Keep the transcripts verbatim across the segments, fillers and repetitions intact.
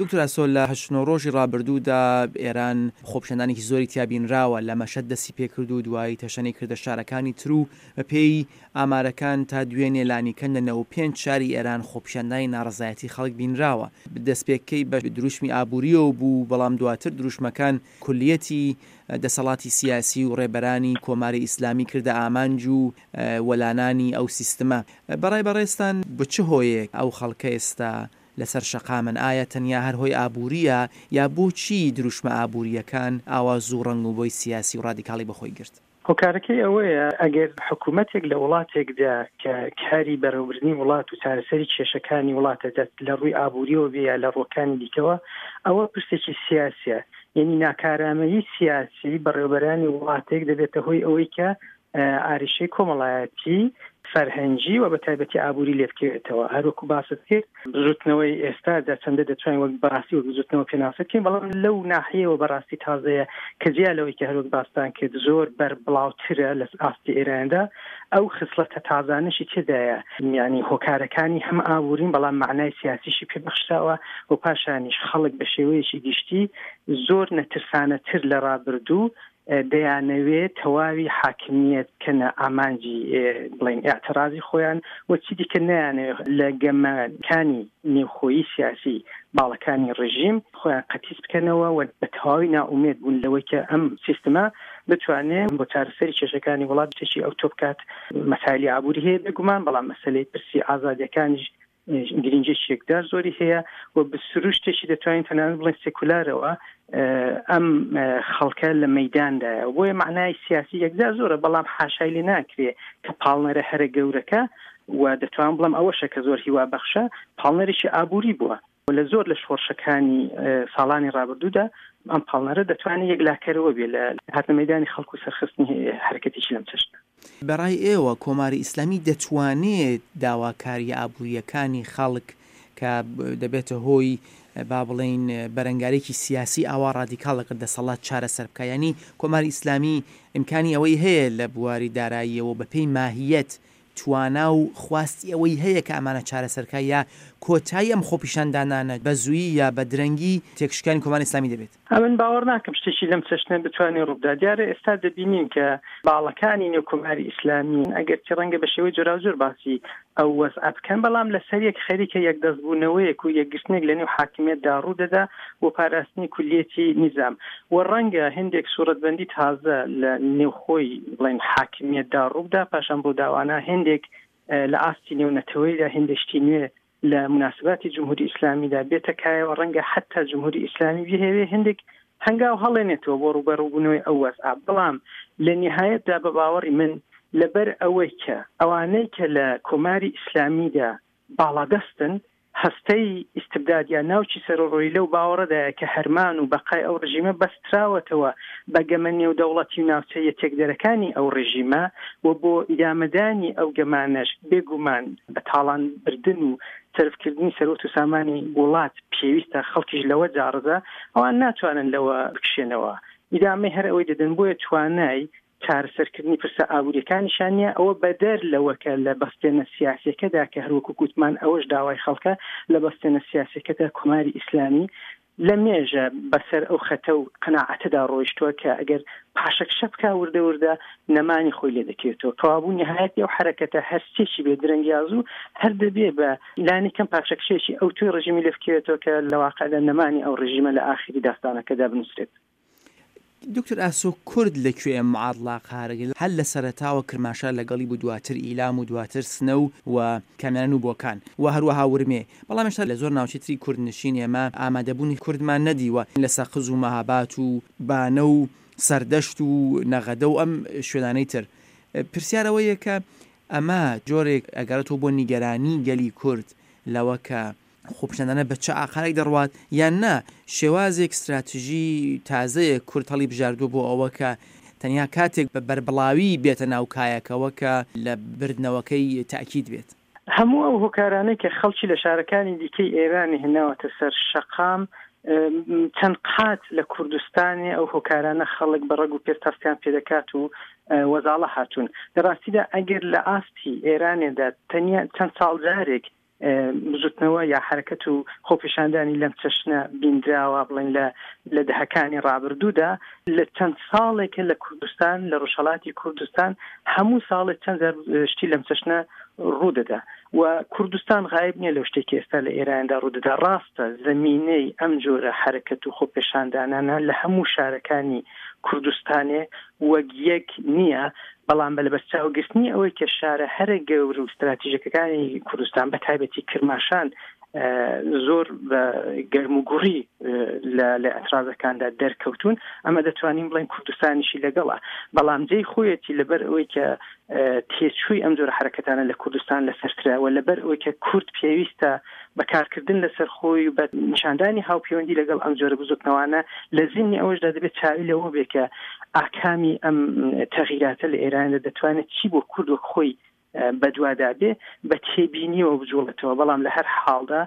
دکتۆر ئاسۆ، لە هەشت نۆ ڕۆژی ڕابردوودا ئێران خۆپیشاندانێکی زۆری تیا بینراوە، لە مەشهەد دەستی پێکرد و دوایی تەشەنەی کردە شارەکانی تر و بەپێی ئامارەکان تا دوێنێ لانیکەم لە نەوە و پێنج شاری ئێران خۆپیشاندانی ناڕەزایەتی خەڵک بینراوە. دەستپێکەی بە دروشمی ئابووریەوە بوو، بەڵام دواتر دروشمەکان کولیەتی دەسەڵاتی سیاسی و ڕێبەرانی کۆماری ئیسلامی کردە ئامانج و وەلانانی ئەو سیستمە. بەڕای بەڕێزتان بە چ هۆیەک ئەو خەڵکە ئێستا لەسەر شەقامن؟ ئایا تەنیا هەر هۆی ئابووریە یا بۆچی دروشمە ئابووریەکان ئاوا زوو ڕەنگ و بۆی سیاسی و ڕادیکاڵی بەخۆی گرت؟ هۆکارەکەی ئەوەیە ئەگەر حکوومەتێک لە وڵاتێکدا کە کاری بەڕێوەبردنی وڵات و چارەسەری کێشەکانی وڵاتە لە ڕووی ئابووریەوە بێ یا لە ڕووەکانی دیکەوە، ئەوە پرسێکی سیاسیە. یعنی ناکارامەیی سیاسی بەڕێوەبەرانی وڵاتێک دەبێتە هۆی ئەوەی کە ئاریشەی کۆمەڵایەتی، فەرهەنگی و بە تایبەتی ئابووری لێ بکەوێتەوە. هەروەکو باست کرد بزوتنەوەی ئێستادا چەندە دەتوانین وەک بەڕاستی وەک بزوتنەوە پێناسە بکەین، بەڵام لەو ناحیەوە بەڕاستی تازەیە کە جیا لەوەی کە هەروەک باستان کرد زۆر بەربڵاوترە لە ئاستی ئێراندا، ئەو خسڵەتە تازانەشی تێدایە. یعنی هۆکارەکانی هەم ئابوورین بەڵام معنای سیاسیشی پێبەخشراوە و پاشانیش خەڵک بە شێوەیەکی گشتی زۆر نەترسانەتر لە ڕابردوو دەیانەوێت تەواوی حاکمیەت بکەنە ئامانجی بڵێن ئاعترازی خۆیان و چی دیکە نەیانەوێت لە گەمەکانی نێوخۆیی سیاسی باڵەکانی ڕژیم خۆیان قەتیس بکەنەوە و بە تەواوی ناومێد بوون لەوەی کە ئەم سیستمە بتوانێت بۆ چارەسەری کێشەکانی وڵات شتێکی ئەوتۆ بکات. مەسایلی ئابووری هەیە بێگومان، بەڵام مەسەلەی پرسی ئازادیەکانیش گرنگیەکی یەکدار زۆری هەیە و بە سروشتێکی دەتوانین تەنانەت بڵێن سێکولارەوە ئەم خەڵکە لە مەیداندایە. بۆیە معنای سیاسی یەکجار زۆرە، بەڵام حاشای لێ ناکرێ کە پاڵنەرە هەرە گەورەکە و دەتوانم بڵێم ئەوەشە کە زۆر هیوا بەخشە، پاڵنەرێکی ئابووری بووە. لە زۆر لە شۆڕشەکانی ساڵانی ڕابردوودا ئەم پاڵنەرە دەتوانێت یەکلاکەرەوە بێ لە هاتنە مەیدانی خەڵک و سەرخستنی حرەکەتێکی لەم چەشنە. بەڕای ئێوە کۆماری ئیسلامی دەتوانێت داواکاری ئابووریەکانی خەڵک کە دەبێتە هۆی با بڵێین بەرەنگارێکی سیاسی ئاوا ڕادیکاڵ لەگەڵ دەسەڵات چارەسەر بکە؟ یعنی کۆماری ئیسلامی ئیمکانی ئەوەی هەیە لە بواری داراییەوە بە پێی ماهیەت توانا و خواستی ئەوەی هەیە کە ئەمانە چارەسەرکە، یا کۆتایی ئەم خۆپیشاندانانە بە زوویی یا بە درەنگی تێکشکانی کۆماری ئیسلامی دەبێت؟ ئەمن باوەڕ ناکەم شتێکی لەم چەشنە بتوانێت ڕووبدا. دیارە ئێستا دەبینین کە باڵەکانی نێو کۆماری ئیسلامی ئەگەرچی ڕەنگە بە شێوەی جۆراوجۆر باسی ئەو وەزعە بکەن، بەڵام لەسەر یەک خەریکە یەکدەستبوونەوەیەک و یەکگرتنێک لە نێو حاکمیەتدا ڕوو دەدا بۆ پاراستنی کولیەتی نیزام و ڕەنگە هەندێک سوورەتبەندی تازە لە نێوخۆی بڵێن حاکمیەتدا ڕووبدا. پاشان ڕووداوانە هەندێک لە ئاستی نێونەتەوەیدا هەندێک شتی نوێ لە مناسباتی جمهوری ئیسلامیدا بێتە کایەوە، ڕەنگە حتی جمهوری ئیسلامی بهێوێ هەندێک هەنگاو هەڵێنێتەوە بۆ ڕووبەڕووبوونەوەی ئەو وەزعە. بەڵام لە نهایەتدا بە باوەڕی من لەبەر ئەوەی کە ئەوانەی کە لە کۆماری ئیسلامیدا باڵادەستن هەستەی ئیستبداد یا ناوچی سەرڕۆیی لەو باوەڕەدایە کە هەرمان و بەقای ئەو ڕژیمە بەستراوەتەوە بە گەمە نێودەوڵەتی و ناوچەیە تێکدەرەکانی ئەو ڕژیمە و بۆ ئیدامەدانی ئەو گەمانەش بێگومان بە تاڵان بردن و سەرفکردنی سەرۆت و سامانی وڵات پێویستە، خەڵکیش لەوە جاڕزە، ئەوان ناتوانن لەوە بکشێنەوە، ئیدامەی هەر ئەوەی دەدەن. بۆیە توانای چارەسەرکردنی پرسە ئابووریەکانیشان نییە. ئەوە بەدەر لەوە کە لە بەستێنە سیاسیەکەدا کە هەروەکو گوتمان ئەوەش داوای خەڵکە، لە بەستێنە سیاسیەکەدا کۆماری ئیسلامی لە مێژە بەسەر ئەو خەتە و قەناعەتەدا ڕۆیشتووە کە ئەگەر پاشەکشە بکا وردە وردە نەمانی خۆی لێ دەکەوێتەوە. کەوابوو نهایەتی ئەو حرەکەتە هەرچێکی بێ درەنگیازوو هەر دەبێ بە لانی کەم پاشەکشێکی ئەو توی ڕژیمی لێ بکەوێتەوە کە لە واقعدا نەمانی ئەو ڕژیمە لە ئاخری داستانەکەدا بنووسرێت. دکتۆر ئاسۆ، کورد لەکوێ ئەم معادڵا قارەگەل؟ هەر لە سەرەتاوە کرماشان لەگەڵی بوو، دواتر ئیلام و دواتر سنە و و کامیاران و بۆکان و هەروەها ورمێ، بەڵام هێشتا لە زۆر ناوچەی تری کوردنشین ئێمە ئامادەبوونی کوردمان نەدیوە لە سەقز و مەهابات و بانە و سەردەشت و نەغەدە و ئەم شوێنانەی تر. پرسیارەوەیە کە ئەمە جۆرێک ئەگەڕێتەوە بۆ نیگەرانی گەلی کورد لەوە کە خۆپیشاندانە بە چه ئاقارێک دەڕوات، یان نا شێوازێک استراتژی تازەیە کورد هەڵی بژاردووە بۆ ئەوە کە تەنیا کاتێک بە بەربڵاوی بێتە ناو کایەکەوە کە لە بردنەوەکەی تاکید بێت؟ هەموو ئەو هۆکارانەی کە خەڵکی لە شارەکانی دیکەی ئێرانی هێناوەتە سەر شەقام چەند قات لە کوردستانی ئەو هۆکارانە خەڵک بە ڕەگ و پێست هەستیان پێدەکات و وەزاڵە هاتوون. لە ڕاستیدا ئەگەر لە ئاستی ئێرانێدا تەنیا چەند ساڵ جارێک بزوتنەوە یا حرەکەت و خۆپیشاندانی لەم چەشنە بیندراوە بڵێن لە لە دەهەکانی ڕابردوودا، لە چەند ساڵێکە لە کوردستان، لە ڕۆژهەڵاتی کوردستان هەموو ساڵێک چەند جار شتی لەم چەشنە ڕوودەدا و کوردستان غایب نییە لەو شتێکی ئێستا لە ئێراندا ڕوودەدا. ڕاستە زمینەی ئەم جۆرە حرەکەت و خۆپێشاندانانە لە هەموو شارەکانی کوردستانێ وەک یەک نییە، بەڵام بە لەبەرچاوگرتنی ئەوەی کە شارە هەرە گەورە و ستراتیژەکەکانی کوردستان بە تایبەتی کرماشان زۆر بە گەرم و گوڕی لە لە ئەترازەکاندا دەرکەوتون، ئەمە دەتوانین بڵێن کوردستانیشی لەگەڵە. بەڵام جێی خۆیەتی لەبەر ئەوەی کە تێچووی ئەم جۆرە حرەکەتانە لە کوردستان لەسەرترە و لەبەر ئەوەی کە کورد پێویستە بەکارکردن لەسەر خۆی و بە نیشاندانی هاوپەیوەندی لەگەڵ ئەم جۆرە بزوتنەوانە، لە زیمنی ئەوەشدا دەبێت چاوی لەوە بێ کە ئاکامی ئەم تەغیراتە لە ئێراندا دەتوانێت چی بۆ کورد وەک خۆی بەدوادا بێ بە تێبینیەوە بجوڵێتەوە. بەڵام لە هەر حاڵدا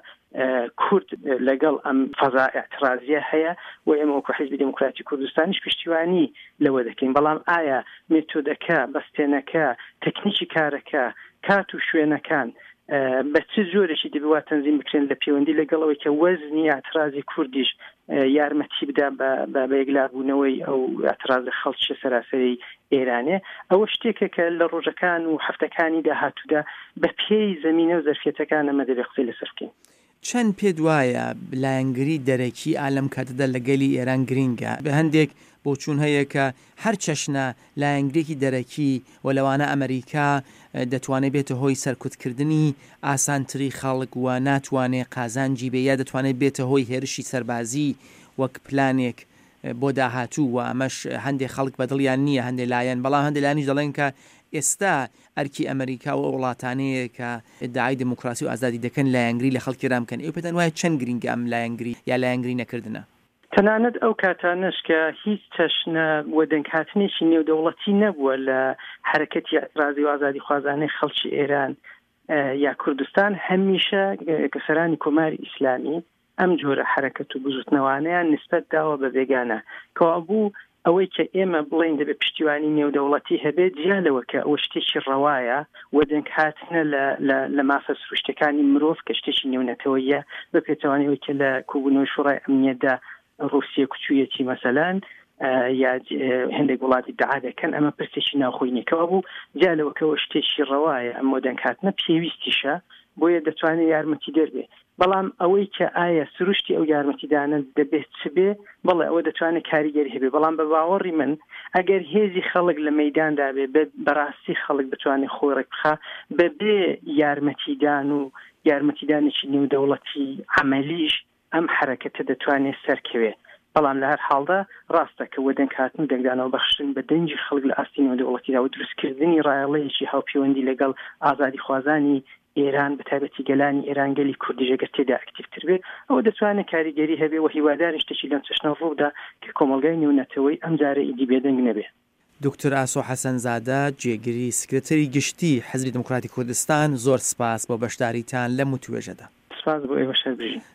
کورد لەگەڵ ئەم فەزا ئاعترازیە هەیە و ئێمە وەکو حیزبی دێموکراتی کوردستانیش پشتیوانی لەوە دەکەین. بەڵام ئایا مێتۆدەکە، بەستێنەکە، تەکنیکی کارەکە، کات و شوێنەکان بە چ جۆرێکی دەبێ وا تەنزیم بکرێن لە پەیوەندی لەگەڵ ئەوەی کە وەزنی ئاعترازی کوردیش یارمەتی بدا بە یەکلابوونەوەی ئەو ئاعترازە خەڵکی سەراسەری ئێرانێ، ئەوە شتێکە کە لە ڕۆژەکان و هەفتەکانی داهاتوودا بە پێی زمینە و زەرفیەتەکان ئەمە دەبێ قسەی لەسەر بکەین. چەند پێت وایە لایەنگری دەرەکی ئالەم کاتەدا لە گەلی ئێران گرینگە؟ بە هەندێک بۆچوون هەیە کە هەر چەشنە لایەنگرێکی دەرەکی و لەوانە ئەمریکا دەتوانێت بێتە هۆی سەرکوتکردنی ئاسانتری خەڵک و ناتوانێت قازانجی بێ، یا دەتوانێت بێتە هۆی هێرشی سەربازی وەک پلانێک بۆ داهاتوو و ئەمەش هەندێک خەڵک بەدڵیان نییە، هەندێک لایەن، بەڵام هەندێک لایەنیش دەڵێن کە ئێستا ئەرکی ئەمریکا و وڵاتانەیە کە ئیدعای دموکراسی و ئازادی دەکەن لایەنگری لە خەڵکی ئێران بکەن. ئێوە پێتان وایە چەند گرینگە ئەم لایەنگری یا لایەنگری نەکردنە؟ تەنانەت ئەو کاتانەش کە هیچ چەشنە وەدەنگهاتنێکی نێودەوڵەتی نەبووە لە حرەکەتی ئاعترازی و ئازادیخوازانەی خەڵکی ئێران یا کوردستان، هەمیشە کە سەرانی کۆماری ئیسلامی ئەم جۆرە حرەکەت و بزوتنەوانەیان نسبەت داوە بە بێگانە. کەوابوو ئەوەی کە ئێمە بڵێن دەبێت پشتیوانی نێودەوڵەتی هەبێت، جیا لەوە کە ئەوە شتێکی ڕەوایە و دەنگهاتنە لە مافە سروشتەکانی مرۆڤ کە شتێکی نێونەتەوەیە، بە پێچەوانەی ئەوەی کە لە کۆبوونەوەی شوڕای ئەمنیەتدا ڕووسیە کوچوویەتی مەسەلەن یا هەندێک وڵاتی دعا دەکەن، ئەمە پرسێکی ناوخۆی نییە. کەوابوو جیا لەوە کە ئەوە شتێکی ڕەوایە، ئەم وەدەنگهاتنە پێویستیشە، بۆیە دەتوانێت یارمەتی دەربێ. بەڵام ئەوەی کە ئایا سروشتی ئەو یارمەتیدانە دەبێت چ بێ، بەڵێ ئەوە دەتوانێت کاریگەری هەبێ. بەڵام بە باوەڕی من ئەگەر هێزی خەڵک لە مەیداندا بێ، بەڕاستی خەڵک بتوانێت خۆی ڕێک بخا بەبێ یارمەتیدان و یارمەتیدانێکی نێودەوڵەتی عەمەلیش، ئەم حرەکەتە دەتوانێت سەرکەوێ. بەڵام لە هەر حاڵدا ڕاستە کە وەدەنگهاتن و دەنگدانەوە بەخشن بە دەنگی خەڵک لە ئاستی نێودەوڵەتیدا و دروستکردنی ڕایەڵەیەکی هاوپەیوەندی لەگەڵ ئازادیخوازانی ئێران، بە تایبەتی گەلانی ئێران، گەلی کوردیش ئەگەر تێدا ئەکتیڤتر بێت، ئەوە دەتوانێت کاریگەری هەبێ و هیوادارین شتێکی لەم چەشنە ڕوودا کە کۆمەڵگای نێونەتەوەی ئەم جارە ئیدی بێدەنگ نەبێ. دکتۆر ئاسۆ حەسەنزادە، جێگری سکرتری گشتی حزبی دموکراتی کوردستان، زۆر سپاس بۆ بەشداریتان لەم وتوێژەدا. سپاس بۆ ئێوە، شەر بژین.